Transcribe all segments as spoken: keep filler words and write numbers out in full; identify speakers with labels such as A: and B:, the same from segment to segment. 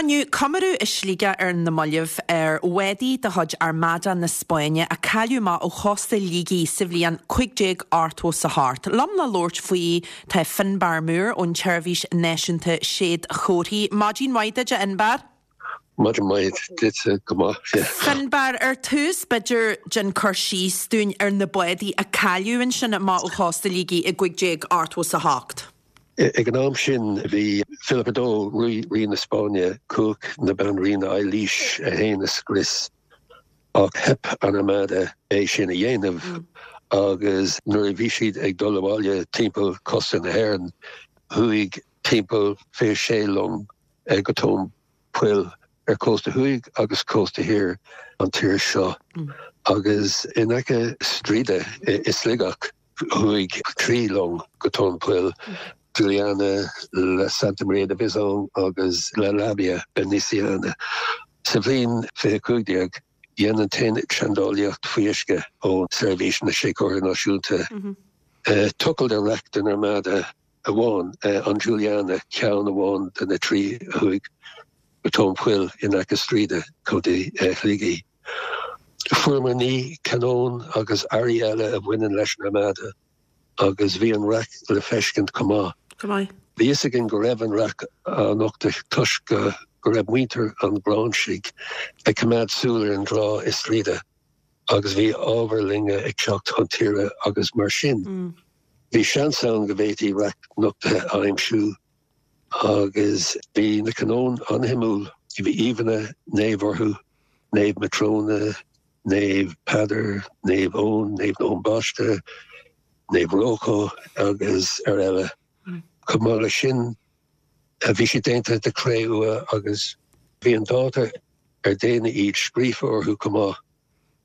A: Rinneadh comóradh i Sligeach ar na mallaibh ar bhádaí de chuid Armada na Spáinne a cailleadh amach ó chósta Shligigh sa bhliain cúig déag ochtó is a hocht. Liom le labhairt faoi tá Finbarr Moore ón tSeirbhís Náisiúnta Séadchomharthaí. Maidin mhaith duit, a Fhinbarr.
B: Maidin mhaith duit go maith.
A: Finbarr ar tús b'fhéidir déan cur síos dúinn ar na bádaí a cailleadh ansin amach ó chósta Shligigh i gcúig déag ochtó is a hocht.
B: Ag an am sin bhí Philip a dó rí rí na Spáinne cumhacht na banríona Eilís a haon a scrios ach theip an Armada é sin a dhéanamh agus nuair a bhí siad ag dul abhaile timpeall cósta na hÉireann chuaigh timpeall fiche sé long go tóin poill ar cósta thuaidh agus cósta thiar an tír seo agus in aice Streedagh i Sligeach chuaigh trí long go tóin poill Juliana la Santa Maria de Bizon agus La Labia Beniciana. Sa bhliain fiche cúig déag dhein an tAonad Seandálaíocht Faoi Uisce ó Seirbhís na Séadchomharthaí Náisiúnta. Tochailt ar raic den Armada amháin an Juliana ceann amháin de na trí a chuaigh go tóin poill in aice Streedagh Contae Shligigh. Fuaireamar naoi canóin agus earraí eile a bhaineann leis an Armada agus bhí an raic le feiscint chomh maith.
A: Go maith.
B: Bhí fhios againn go raibh an raic á nochtadh toisc go go raibh muintir an Ghráinsigh ag coimeád súil ar an dtrá i Streedagh agus bhí ábhar loinge ag teacht chun tíre agus mar sin. Bhí seans ann go bhféadfaí raic nochtaithe a aimsiú agus bhí na canóin an-shuimiúil, bhí íomhánna naomh orthu, Naomh Matrona, Naomh Peadar, Naomh Eoin, Naomh Eoin Baiste, Naomh Rocco agus ar eile. Chomh maith leis sin bhí siad déanta de chré-umha agus bhí an dáta ar déanadh iad scríofa orthu chomh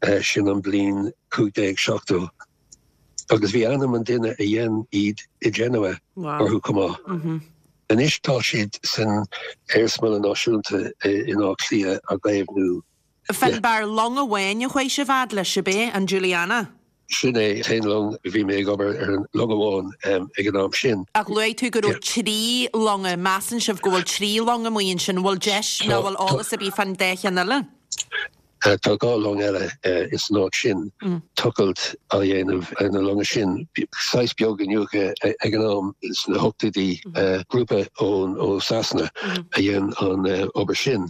B: maith sin an bliain cúig déag seachtó. Agus bhí ainm an duine a dhein iad i Genoa orthu chomh maith. Anois tá siad san Iarsmalann Náisiúnta in Áth Cliath á gcaomhnú.
A: Finbarr long amháin a chuaigh sibh fhad leis ab é an Juliana?
B: Sin é an t-aon long bhí mé ag obair ar an long amháin ag an am sin.
A: Ach luaigh tú go raibh trí longa, measann sibh go bhfuil trí long amuigh ansin, bhfuil deis nó bhfuil eolas ar bith fán dá cheann eile?
B: Tá dhá long eile ins an áit sin, tochailt á dhéanamh ar na longa sin. Saghas beag iniúchadh ag an am sna hochtóidí, grúpa ón ó Sasana a dhein an obair sin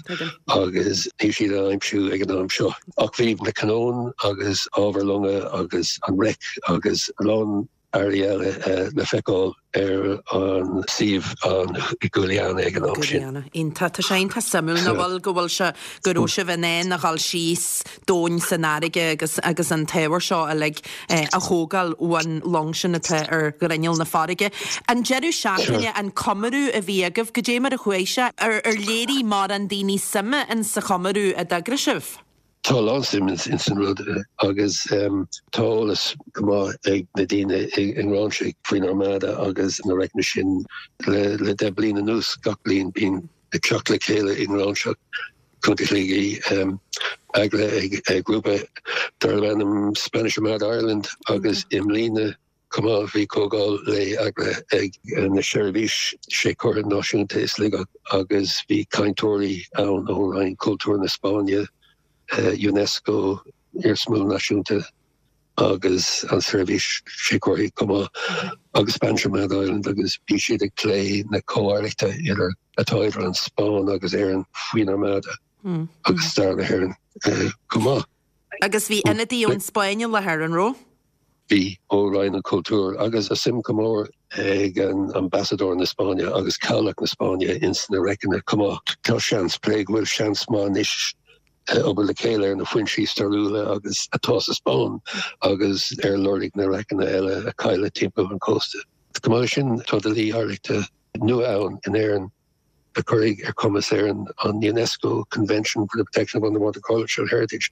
B: agus níl siad á aimsiú ag an am seo. Ach bhí na canóin agus ábhar longa agus an raic agus a lán earraí eile le feiceáil ar an suíomh an Juliana ag an am sin.
A: Juliana. Iontach. Tá sé iontach suimiúil nach bhfuil go bhfuil sé go raibh sibh in ann a dhul síos domhain san fharraige agus agus an t-ábhar seo uilig a thógáil ón long sin atá ar ghrinneall na farraige. An deireadh seachtaine an comóradh a bhí agaibh, goidé mar a chuaigh sé, ar ar léirigh mórán daoine suime in sa chomóradh a d'eagraigh sibh?
B: Tá a lán suim ins an rud agus tá eolas go maith ag na daoine i nGráinsigh faoin Armada agus na raiceanna sin le le deich bliain anuas gach bliain bíonn ag teacht le chéile i nGráinseach Contae Shligigh eagraithe ag grúpa darb ainm Spanish Armada Ireland agus i mbliana chomh maith bhí comhdháil lae eagraithe ag na Seirbhís Séadchomharthaí Náisiúnta i Sligeach agus bhí cainteoirí ann ó Roinn Cultúir na Spáinne, UNESCO, Iarsmalann Náisiúnta agus an Seirbhís Séadchomharthaí chomh maith agus Spanish Armada Ireland agus bhí siad ag plé na comhoidhreachta idir atá idir an Spáinn agus Éirinn faoin Armada agus stair na hÉireann chomh maith.
A: Agus bhí ionadaí ón Spáinn i láthair, an raibh?
B: Bhí ó Roinn an Chultúir agus tá suim go mór ag an ambasadóir na Spáinne agus cabhlach na Spáinne ins na raiceanna chomh maith. Tá seans plé go bhfuil seans maith anois obair le chéile ar na foinsí stairiúla agus atá sa Spáinn agus ar lorg na raiceanna eile a cailleadh timpeall an chósta. Chomh maith leis sin tá dlí oidhreachta nua ann in Éirinn a chuirfidh ar chumas Éireann an UNESCO Convention for the Protection of Underwater Cultural Heritage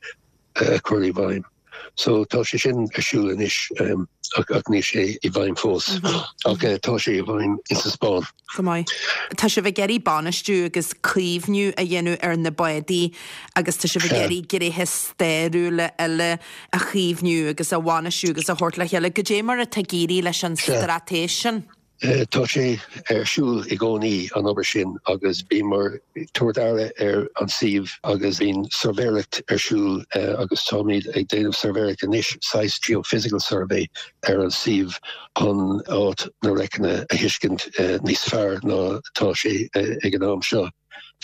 B: a chur i bhfeidhm. So tá sé sin ar siúl anois ach ach níl sé i bhfeidhm fós ach tá sé i bhfeidhm insa Spáinn.
A: Go maith. Tá sibh ag iarraidh bainistiú agus caomhnú a dhéanamh ar na bádaí agus tá sibh ag iarraidh gnéithe stairiúla eile a chaomhnú agus a bhainistiú agus a thabhairt le chéile. Goidé mar atá ag éirí leis an straitéis sin?
B: Tá sé ar siúl i gcónaí an obair sin agus bímid ag tabhairt aire ar an suíomh agus bíonn suirbhéireacht ar siúl agus táimid ag déanamh suirbhéireacht anois saghas geophysical survey ar an suíomh chun áit na raiceanna a thuiscint níos fearr ná tá sé ag an am seo.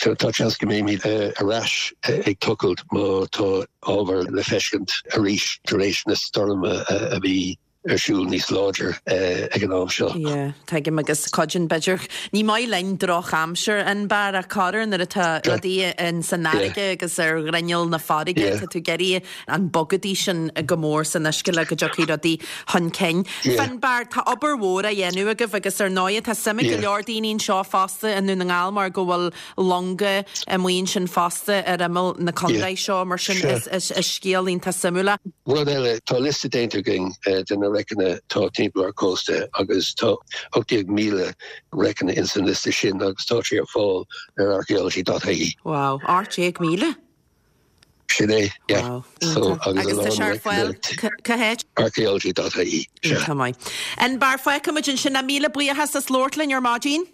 B: So tá seans go mbeimid ar ais ag tochailt má tá ábhar le feiscint arís tar éis na stoirme a bhí ar siúl níos láidir ag an am seo.
A: Yeah, tuigim agus cuideann b'fhéidir ní maith linn drochaimsir Fhionnbarr ach corruair nuair atá rudaí in san fharraige agus ar ghrinneall na farraige tá tú ag iarraidh an bogadaí sin go mór san uisce le go dtiocfaidh rudaí chun cinn. Fionnbarr tá obair mhór á dhéanamh agaibh agus ar ndóigh tá suim ag go leor daoine anseo fosta i nDún na nGall mar go bhfuil longa amuigh ansin fosta ar imeall na contae seo mar sin is scéal iontach suimiúil.
B: Rud eile tá liosta déanta againn de na raiceanna tá timpeall ar cósta agus tá ocht déag míle raiceanna in san liosta sin agus tá sé ar fáil ar archaeology.ie.
A: Wow, ocht déag míle?
B: Sin é yeah.
A: So agus tá sé ar fáil cá háit?
B: archaeology.ie.
A: Tá maith. Fhionnbarr fágfaimid ansin é míle buíochas as labhairt linn ar maidin?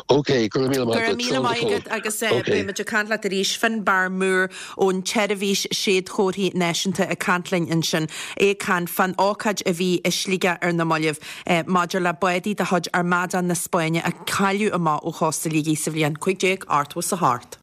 B: Ok, go míle
A: Go míle maith agus beimid ag caint leat arís Fionnbarr Moore ón tSeirbhís Séadchomharthaí Náisiúnta ag caint linn ansin é ag caint fán ócáid a bhí i Sligeach ar na mallaibh maidir le bádaí de chuid Armada na Spáinne a cailleadh amach ó chósta Shligigh sa bhliain cúig déag ochtó a hocht.